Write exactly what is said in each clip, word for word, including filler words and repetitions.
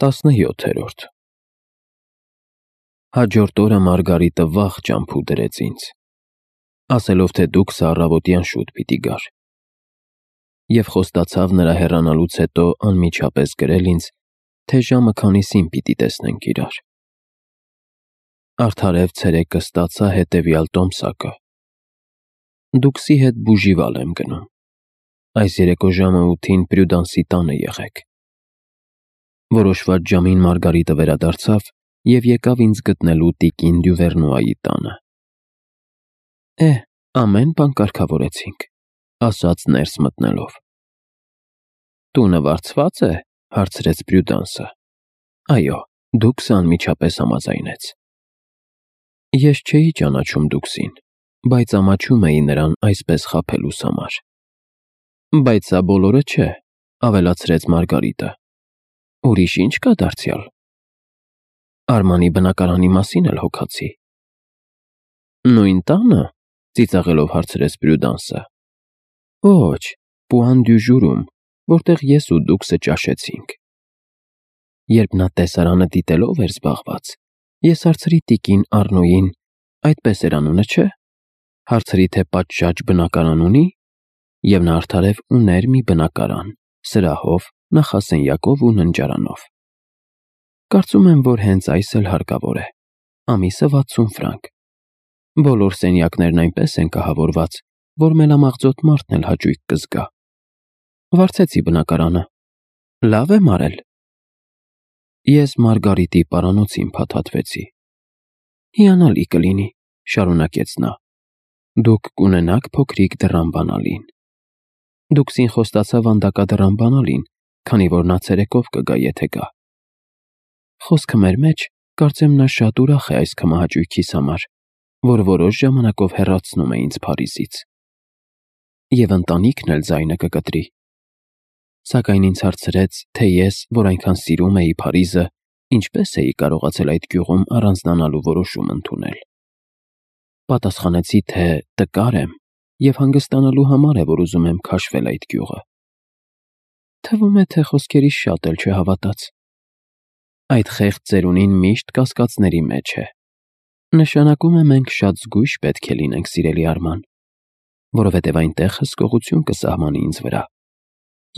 տասնյոթերորդ Հաջորդ օրը Մարգարիտը վաղ ճամփու դրեց ինձ, ասելով, թե դուքսը առավոտյան շուտ պիտի գար, և խոստացավ նրա հեռանալուց հետո անմիջապես գրել ինձ, թե ժամը քանիսին պիտի տեսնենք իրար։ Արդարև ցերեկը ստացա հետևյալ տոմսակը. դուքսի հետ բուժիվալ եմ գնում, այս երեկո ժամը ութին Պրյուդանսի տանը եղեք։ Որոշված ժամին Մարգարիտը վերադարձավ և եկավ ինձ գտնելու տիկին Դյուվերնուայի տանը։ Է, ամեն բան կարգավորեցինք, ասաց ներս մտնելով։ Տունը վարձվա՞ծ է, հարցրեց Պրյուդանսը։ Այո, դուքսը անմիջապես համաձայնեց։ Ես չէի ճանաչում դուքսին, բայց ամաչում էի նրան այսպես խաբելուս համար։ Բայց սա բոլորը չէ, ավելացրեց Մարգարիտը։ Ուրիշ ինչ կա դարձյալ։ Արմանի բնակարանի մասին էլ հոգացի։ Նույն տանը, ծիծաղելով հարցրեց Պրյուդանսը։ Ոչ, Պուան դյու Ժուրում, որտեղ ես ու դուքսը ճաշեցինք։ Երբ նա տեսարանը դիտելով էր զբաղված, ես հարցրի տիկին Առնոյին, այդպես էր անունը, չէ՞, հարցրի, թե պատշաճ բնակարան ունի, և նա արդարև ուներ մի բնակարան, սրահով, նախասենյակով ու ննջարանով։ Կարծում եմ, որ հենց այս էլ հարկավոր է, ամիսը վաթսուն ֆրանկ։ Բոլոր սենյակներն այնպես են կահավորված, որ մելամաղձոտ մարդն էլ հաճույք կզգա։ Վարձեցի բնակարանը, լավ եմ արել։ Ես Մարգարիտի պարանոցին փաթաթվեցի։ Հիանալի կլինի, շարունակեց նա, դուք կունենաք փոքրիկ դռան բանալին։ Դուքսին խոստացավ վանդակադռան բանալին, քանի որ նա ցերեկով կգա, եթե գա։ Խոսքը մեր մեջ, կարծեմ նա շատ ուրախ է այս քմահաճույքիս համար, որ որոշ ժամանակով հեռացնում է ինձ Փարիզից։ Եվ ընտանիքն էլ ձայնը կկտրի։ Սակայն ինձ հարցրեց, թե ես, որ այնքան սիրում էի Փարիզը, ինչպես էի կարողացել այդ գյուղում առանձնանալու որոշում ընդունել։ Պատասխանեցի, թե տկար եմ և հանգստանալու համար է, որ ուզում եմ քաշվել այդ գյուղը։ Թվում է, թե խոսքերիս շատ էլ չհավատաց։ Այդ խեղճ ծերունին միշտ կասկածների մեջ է։ Նշանակում է մենք շատ զգույշ պետք է լինենք, սիրելի Արման, որովհետև այնտեղ հսկողություն կսահմանի ինձ վրա։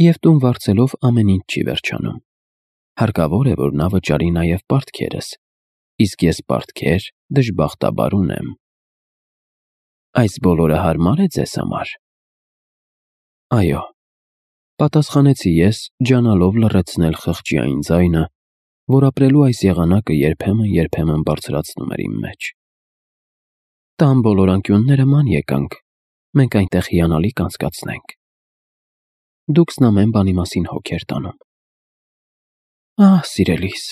Եվ տուն վարձելով ամեն ինչ չի վերջանում։ Հարկավոր է, որ նա վճարի նաև պարտքերս, իսկ ես պարտքեր դժբախտաբար ունեմ։ Այս բոլորը հարմար է ձեզ համար։ Այո, պատասխանեցի ես, ջանալով լռեցնել խղճի այն ձայնը, որ ապրելու այս եղանակը երբեմն-երբեմն բարձրացնում էր իմ մեջ։ Տան բոլոր անկյունները ման եկանք, մենք այնտեղ հիանալի կանցկացնենք։ Դուքսն ամեն բանի մասին հոգ էր տանում։ Ահ, սիրելիս,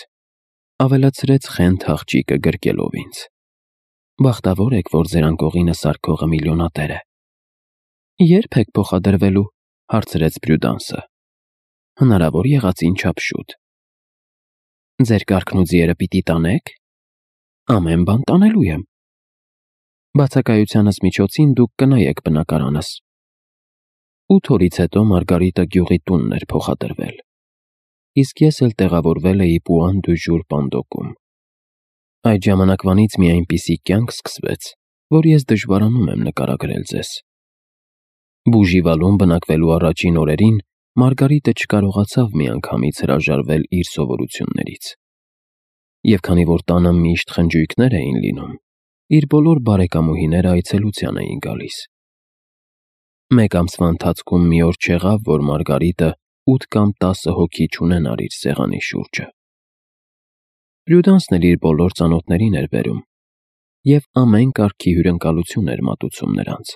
ավելացրեց խենթ աղջիկը գրկելով ինձ։ Բախտավոր եք, որ ձեր անկողինը սարքողը միլիոնատեր է։ Ե՞րբ եք փոխադրվելու, հարցրեց Պրյուդանսը։ Հնարավոր եղածին չափ շուտ։ Ձեր կառքն ու ձիերը պիտի տանե՞ք։ Ամեն բան տանելու եմ։ Բացակայությանս միջոցին դուք կնայեք բնակարանս։ Ութ օրից հետո Մարգարիտը գյուղի տունն էր փոխադրվել, իսկ ես էլ տեղավորվել էի Պուան դյու Ժուր պանդոկում։ Այդ ժամանակվանից մի այնպիսի կյանք սկսվեց, որ ես դժվարանում եմ նկարագրել ձեզ։ Բուժիվալում բնակվելու առաջին օրերին Մարգարիտը չկարողացավ միանգամից հրաժարվել իր սովորություններից։ Եվ քանի որ տանը միշտ խնջույքներ էին լինում, իր բոլոր բարեկամուհիները այցելության էին գալիս։ Մեկ ամսվա ընթացքում մի օր չեղավ, որ Մարգարիտը ութ կամ տասը հոգի չունենար իր սեղանի շուրջը։ Պրյուդանսն էլ իր բոլոր ծանոթներին էր բերում, և ամեն կարգի հյուրընկալություն էր մատուցում նրանց,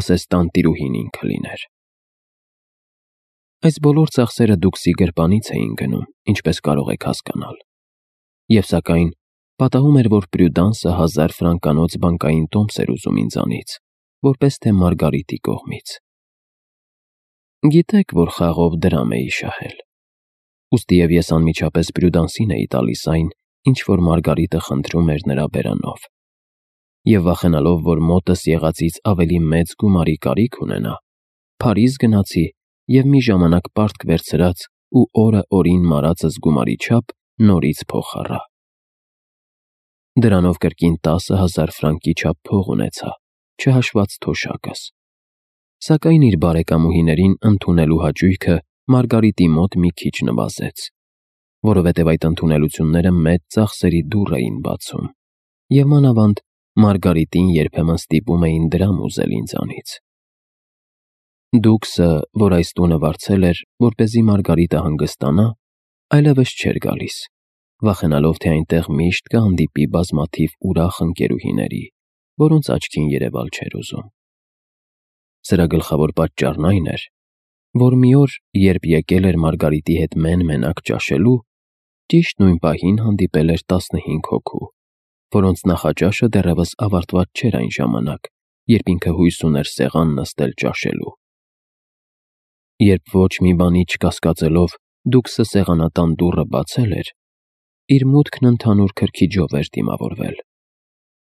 ասես տանտիրուհին ինքը լիներ։ Այս բոլոր ծախսերը դուքսի գրպանից էին գնում, ինչպես կարող եք հասկանալ։ Եվ սակայն պատահում էր, որ Պրյուդանսը հազար ֆրանկանոց բանկային տոմս էր ուզում ինձանից, որպես թե Մարգարիտի կողմից։ Գիտեք, որ խաղով դրամ էի շահել։ Ուստիև ես անմիջապես Պրյուդանսին էի տալիս այն, ինչ որ Մարգարիտը խնդրում էր նրա բերանով։ Եվ վախենալով, որ մոտս եղածից ավելի մեծ գումարի կարիք ունենա, Փարիզ գնացի և մի ժամանակ պարտք վերցրած ու օրը օրին մարածս գումարի չափ նորից փող առա։ Դրանով կրկին տասը հազար ֆրանկի չափ փող ունեցա, չհաշված թոշակս։ Սակայն իր բարեկամուհիներին ընդունելու հաճույքը Մարգարիտի մոտ մի քիչ նվազեց, որովհետև այդ ընդունելությունները մեծ ծախսերի դուռ էին բացում, և մանավանդ Մարգարիտին երբեմն ստիպում էին դրամ ուզել ինձանից։ Դուքսը, որ այս տունը վարձել էր, որպեսզի Մարգարիտը հանգստանա, այլևս չէր գալիս, վախենալով, թե այնտեղ միշտ կհանդիպի բազմաթիվ ուրախ ընկերուհիների, որոնց աչքին երևալ չէր ուզում։ Սրա գլխավոր պատճառն այն էր, որ մի օր, երբ եկել էր Մարգարիտի հետ մեն-մենակ ճաշելու, ճիշտ նույն պահին հանդիպել էր տասնհինգ հոգու, որոնց նախաճաշը դեռևս ավարտված չէր այն ժամանակ, երբ ինքը հույս ուներ սեղան նստել ճաշելու։ Երբ ոչ մի բանի չկասկածելով Դուքսը սեղանատան դուռը բացել էր, իր մուտքն ընդհանուր քրքիջով էր դիմավորվել,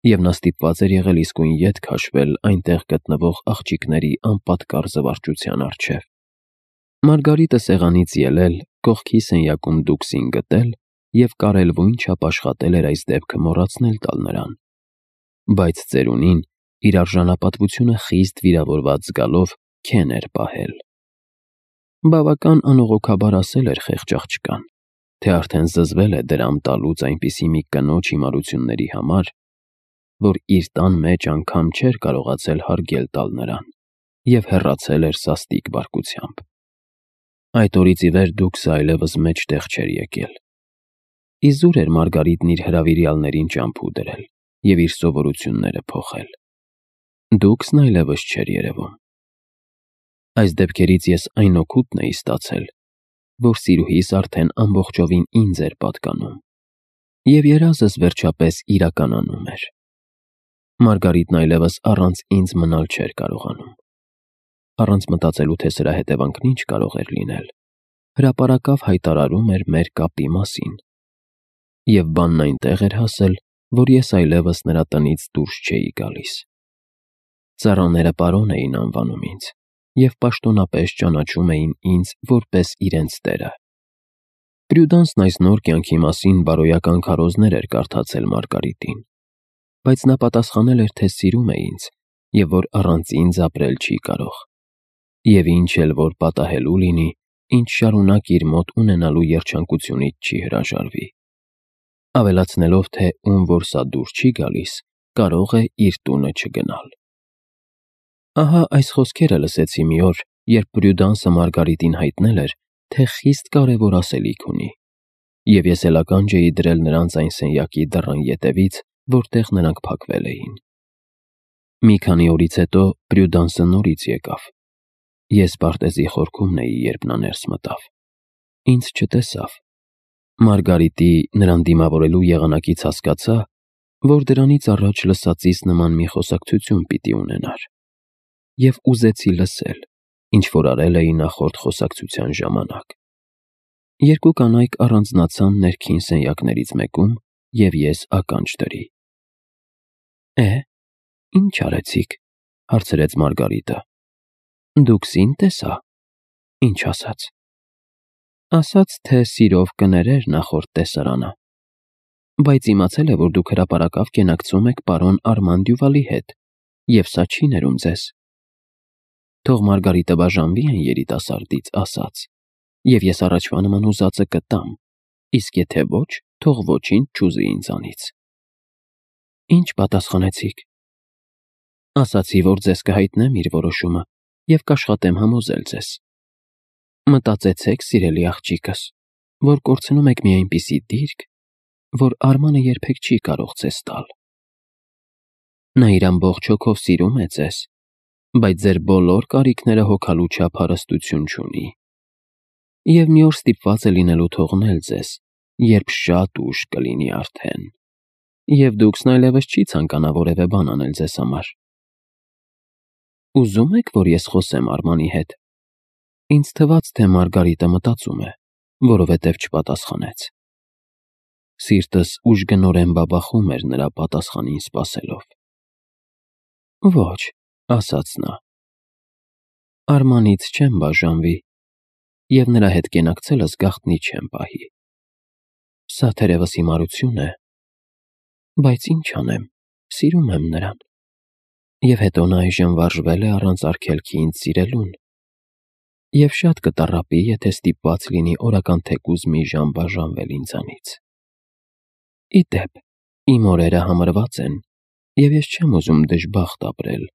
և նա ստիպված էր եղել իսկույն ետ քաշվել այնտեղ գտնվող աղջիկների անպատկառ զվարճության առջև։ Մարգարիտը սեղանից ելել, կողքի սենյակում Դուքսին գտել և կարելվույն չափ աշխատել էր այս դեպքը մոռացնել տալ նրան, բայց ծերունին, իր արժանապատվությունը խիստ վիրավորված զգալով, քեն էր պահել։ Բավական անողոքաբար ասել էր խեղճ աղջկան, թե արդեն զզվել է դրամ տալուց այնպիսի մի կնոջ հիմարությունների համար, որ իր տան մեջ անգամ չէր կարողացել հարգել տալ նրան, և հեռացել էր սաստիկ բարկությամբ։ Այդ օրից ի վեր Դուքսը այլևս մեջտեղ չէր եկել։ Իզուր էր Մարգարիտն իր հրավիրյալներին ճամփու դրել և իր սովորությունները փոխել։ Դուքսն այլևս չէր երևում։ Այս դեպքերից ես այն օգուտն էի ստացել, որ սիրուհիս արդեն ամբողջովին ինձ էր պատկանում, և երազս վերջապես իրականանում էր։ Մարգարիտն այլևս առանց ինձ մնալ չէր կարողանում։ Առանց մտածելու, թե սրա հետևանքն ինչ կարող էր լինել, հրապարակավ հայտարարում էր մեր կապի մասին, և բանն այնտեղ էր հասել, որ ես այլևս նրա տնից դուրս չէի գալիս։ Ծառաները պարոն էին անվանում ինձ և պաշտոնապես ճանաչում էին ինձ որպես իրենց տերը։ Պրյուդանսն այս նոր կյանքի մասին բարոյական քարոզներ էր կարդացել Մարգարիտին, բայց նա պատասխանել էր, թե սիրում է ինձ և որ առանց ինձ ապրել չի կարող, և ինչ էլ որ պատահելու լինի, ինչ շարունակ իր մոտ ունենալու երջանկությունից չի հրաժարվի, ավելացնելով, թե ում որ սա դուր չի գալիս, կարող է իր տունը չգնալ։ Ահա այս խոսքերը լսեցի մի օր, երբ Պրյուդանսը Մարգարիտին հայտնել էր, թե խիստ կարևոր ասելիք ունի, և ես էլ ականջ էի դրել նրանց այն սենյակի դռան ետևից, որտեղ նրանք փակվել էին։ Մի քանի օրից հետո Պրյուդանսը նորից եկավ։ Ես պարտեզի խորքումն էի, երբ նա ներս մտավ։ Ինձ չտեսավ։ Մարգարիտի նրան դիմավորելու եղանակից հասկացա, որ դրանից առաջ լսածիս նման մի խոսակցություն պիտի ունենար, և ուզեցի լսել, ինչ որ արել էի նախորդ խոսակցության ժամանակ։ Երկու կանայք առանձնացան ներքին սենյակներից մեկում, և ես ականջ դրի։ «Է, ի՞նչ արեցիք», հարցրեց Մարգարիտը։ «Դուքսին տեսա»։ «Ինչ ասաց»։ «Ասաց, թե սիրով կներեր նախորդ տեսարանը, բայց իմացել է, որ դուք հրապարակավ կենակցում եք պարոն Արման Դյուվալի հետ, և սա չի ներում ձեզ։ Թող Մարգարիտը բաժանվի այն երիտասարդից, ասաց, և ես առաջվա նման ուզածը կտամ, իսկ եթե ոչ, թող ոչինչ չուզի ինձանից»։ «Ինչ պատասխանեցիք»։ «Ասացի, որ ձեզ կհայտնեմ իր որոշումը և կաշխատեմ համոզել ձեզ։ Մտածեցեք, սիրելի աղջիկս, որ կորցնում եք մի այնպիսի դիրք, որ Արմանը երբեք չի կարող ձեզ տալ։ Նա իր ամբողջ հոգով սիրում է ձեզ, բայց ձեր բոլոր կարիքները հոգալու չափ հարստություն չունի, և մի օր ստիպված է լինելու թողնել ձեզ, երբ շատ ուշ կլինի արդեն, և Դուքսն այլևս չի ցանկանա որևէ բան անել ձեզ համար։ Ուզո՞ւմ եք, որ ես խոսեմ Արմանի հետ»։ Ինձ թվաց, թե Մարգարիտը մտածում է, որովհետև չպատասխանեց։ Սիրտս ուժգնորեն բաբախում էր նրա պատասխանին սպասելով։ «Ոչ», ասաց նա, «Արմանից չեմ բաժանվի, և նրա հետ կենակցելս գաղտնի չեմ պահի։ Սա թերևս հիմարություն է, բայց ինչ անեմ, սիրում եմ նրան։ Եվ հետո նա այժմ վարժվել է առանց արգելքի ինձ սիրելուն, և շատ կտառապի, եթե ստիպված լինի օրական թեկուզ մի ժամ բաժանվել ինձանից։ Ի դեպ, իմ օրերը համարված են, և ես չեմ ուզում դժբախտ ապրել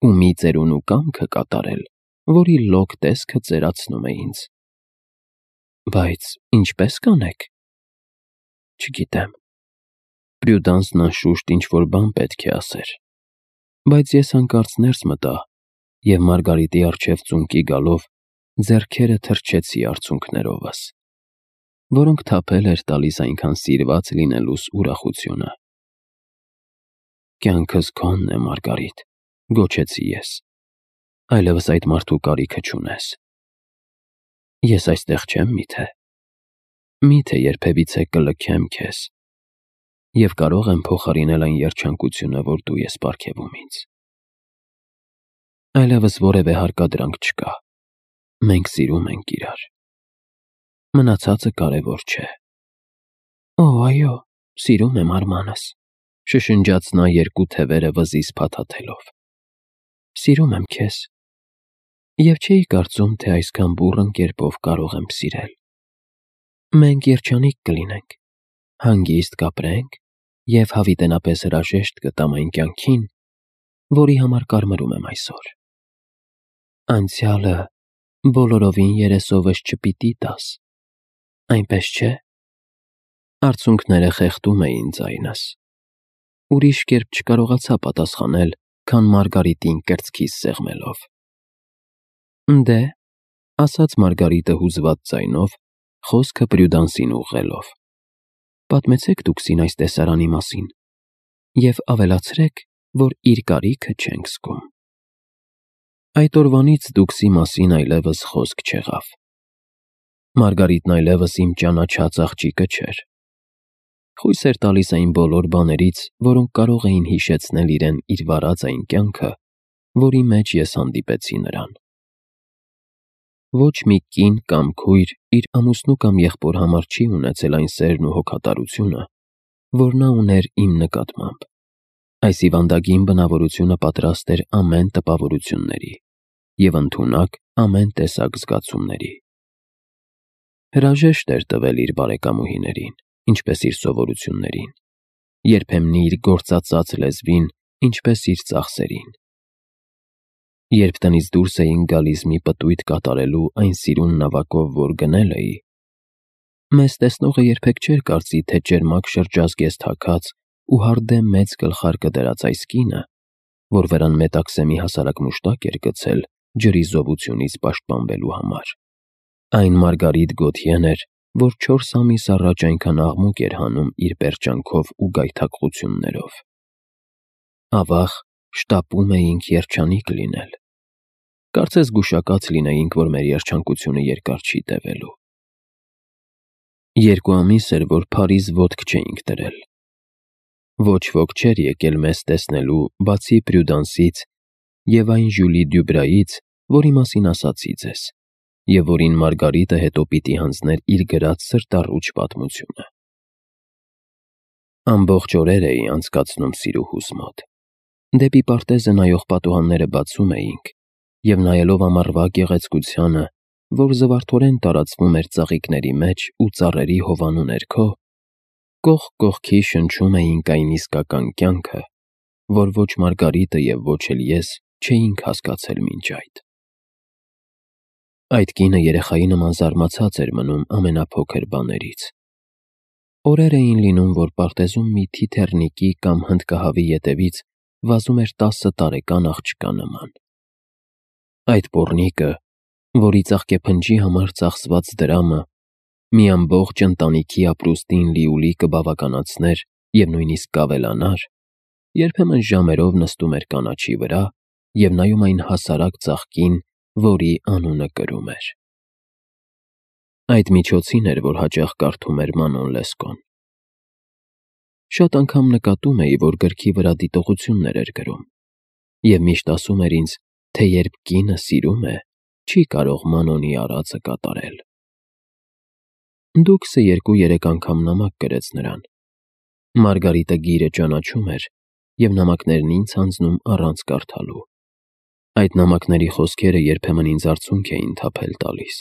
ու մի ծերունու կամքը կատարել, որի լոկ տեսքը ծերացնում է ինձ։ Բայց ինչպե՞ս կանեք։ Չգիտեմ։ Պրյուդանսն անշուշտ ինչ-որ բան պետք է ասեր, բայց ես հանկարծ ներս մտա և Մարգարիտի առջև ծունկի գալով ձեռքերը թրջեցի արցունքներովս, որոնք թափել էր տալիս այնքան սիրված լինելուս ուրախությունը։ Կյանքս քոնն է, Մարգարիտ, գոչեցի ես, այլևս այդ մարդու կարիքը չունես։ Ես այստեղ չեմ միթե։ Միթե երբևիցե կլքեմ քեզ և կարող եմ փոխարինել այն երջանկությունը, որ դու ես պարգևում ինձ։ Այլևս որևէ հարկադրանք չկա։ Մենք սիրում ենք իրար։ Մնացածը կարևոր չէ։ Օ, այո, սիրում եմ արմանս, շշնջաց նա երկու թևերը վզից փաթաթելով։ Սիրում եմ քեզ, և չէի կարծում, թե այսքան բուռն կերպով կարող եմ սիրել։ Մենք երջանիկ կլինենք, հանգիստ կապրենք և հավիտենապես հրաժեշտ կտամ այն կյանքին, որի համար կարմրում եմ այսօր։ Անցյալը բոլորովին երեսովս չպիտի տաս, այնպես չէ՞։ Արցունքները խեղդում էին ձայնս։ Ուրիշ կերպ չկարողացա պատասխանել, քան Մարգարիտին կրծքիս սեղմելով։ Դե, ասաց Մարգարիտը հուզված ձայնով, խոսքը Պրյուդանսին ուղղելով, պատմեցեք դուքսին այս տեսարանի մասին և ավելացրեք, որ իր կարիքը չենք զգում։ Այդ օրվանից դուքսի մասին այլևս խոսք չեղավ։ Մարգարիտն այլևս իմ ճանաչած աղջիկը չէր։ Խույս էր տալիս այն բոլոր բաներից, որոնք կարող էին հիշեցնել իրեն իր վարած այն կյանքը, որի մեջ ես հանդիպեցի նրան։ Ոչ մի կին կամ քույր իր ամուսնու կամ եղբոր համար չի ունեցել այն սերն ու հոգատարությունը, որ նա ուներ իմ նկատմամբ։ Այս հիվանդագին բնավորությունը պատրաստ էր ամեն տպավորությունների և ընդունակ ամեն տեսակ զգացումների։ Հրաժեշտ էր տվել իր բարեկամուհիներին, ինչպես իր սովորություններին, երբեմն իր գործածած լեզվին, ինչպես իր ծախսերին։ Երբ տնից դուրս էինք գալիս մի պտույտ կատարելու այն սիրուն նավակով, որ գնել էի, մեզ տեսնողը երբեք չէր կարծի, թե ճերմակ շրջազգեստ հագած ու հարդեմ մեծ գլխարկը դրած այս կինը, որ վրան մետաքսեմի հասարակ մուշտակ էր գցել ջրի զովությունից պաշտպանվելու համար, այն Մարգարիտ Գոթյեն էր, որ չորս ամիս առաջ այնքան աղմուկ էր հանում իր պերճանքով ու գայթակղություններով։ Ավաղ, շտապում էինք երջանիկ լինել։ Կարծես գուշակած լինեինք, որ մեր երջանկությունը երկար չի տևելու։ Երկու ամիս էր, որ Փարիզ ոտք չէինք դրել։ Ոչ ոք չէր եկել մեզ տեսնելու, բացի Պրյուդանսից և այն Ժյուլի Դյուբրայից, որի մասին ասացի ձեզ, և որին Մարգարիտը հետո պիտի հանձներ իր գրած սրտառուչ պատմությունը։ Ամբողջ օրեր էի անցկացնում սիրուհուս մոտ։ Դեպի պարտեզը նայող պատուհանները բացում էինք, և նայելով ամառվա գեղեցկությանը, որ զվարթորեն տարածվում էր ծաղիկների մեջ ու ծառերի հովանու ներքո, կողք կողքի շնչում էինք այն իսկական կյանքը, որ ոչ Մարգարիտը և ոչ էլ ես չէինք հասկացել մինչ այդ։ Այդ կինը երեխայի նման զարմացած էր մնում ամենափոքր բաներից։ Օրեր էին լինում, որ պարտեզում մի թիթեռնիկի կամ հնդկահավի ետևից վազում էր տասը տարեկան աղջկա նման։ Այդ պոռնիկը, որի ծաղկեփնջի համար ծախսված դրամը մի ամբողջ ընտանիքի ապրուստին լիուլի կբավականացներ և նույնիսկ կավելանար, երբեմն ժամերով նստում էր կանաչի վրա և նայում այն հասարակ ծաղկին, որի անունը կրում էր։ Այդ միջոցին էր, որ հաճախ կարդում էր Մանոն Լեսկոն։ Շատ անգամ նկատում էի, որ գրքի վրա դիտողություններ էր գրում, և միշտ ասում էր ինձ, թե երբ կինը սիրում է, չի կարող Մանոնի արածը կատարել։ Դուքսը երկու-երեք անգամ նամակ գրեց նրան։ Մարգարիտը գիրը ճանաչում էր և նամակներն ինձ հանձնում առանց կարդալու։ Այդ նամակների խոսքերը երբեմն ինձ արցունք էին թափել տալիս։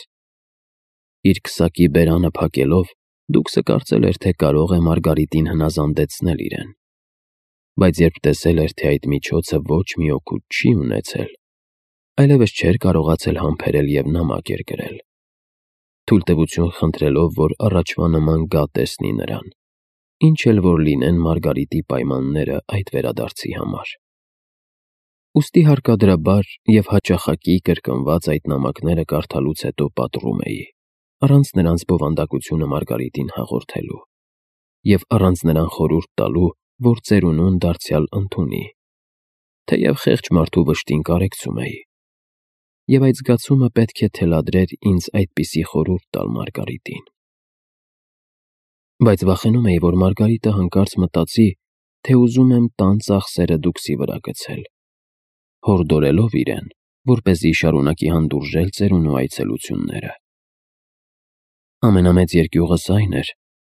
Իր քսակի բերանը փակելով, Դուքսը կարծել էր, թե կարող է Մարգարիտին հնազանդեցնել իրեն։ Բայց երբ տեսել էր, թե այդ միջոցը ոչ մի օգուտ չի ունեցել, այլևս չէր կարողացել համբերել և նամակ էր գրել, թույլտվություն խնդրելով, որ առաջվա նման գա տեսնի նրան, ինչ էլ որ լինեն Մարգարիտի պայմանները այդ վերադարձի համար։ Ուստի հարկադրաբար և հաճախակի կրկնված այդ նամակները կարդալուց հետո պատռում էի, առանց նրանց բովանդակությունը Մարգարիտին հաղորդելու և առանց նրան խորհուրդ տալու, որ ծերունուն դարձյալ ընդունի, թեև խեղճ մարդու վշտին կարեկցում էի։ Եվ այդ զգացումը պետք է թելադրեր ինձ այդպիսի խորհուրդ տալ Մարգարիտին։ Բայց վախենում էի, որ Մարգարիտը հանկարծ մտածի, թե ուզում եմ տան ծախսերը Դուքսի վրա գցել, հորդորելով իրեն, որպեսզի շարունակի հանդուրժել ծերունու այցելությունները։ Ամենամեծ երկյուղս այն էր,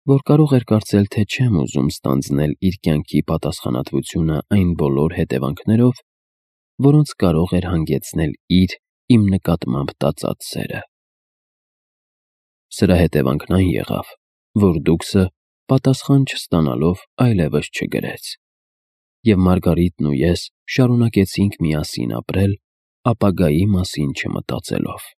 որ կարող էր կարծել, թե չեմ ուզում ստանձնել իր կյանքի պատասխանատվությունը այն բոլոր հետևանքներով, որոնց կարող էր հանգեցնել իր իմ նկատմամբ տածած սերը։ Սրա հետևանքն այն եղավ, որ Դուքսը, պատասխան չստանալով, այլևս չգրեց, և Մարգարիտն ու ես շարունակեցինք միասին ապրել, ապագայի մասին չմտածելով։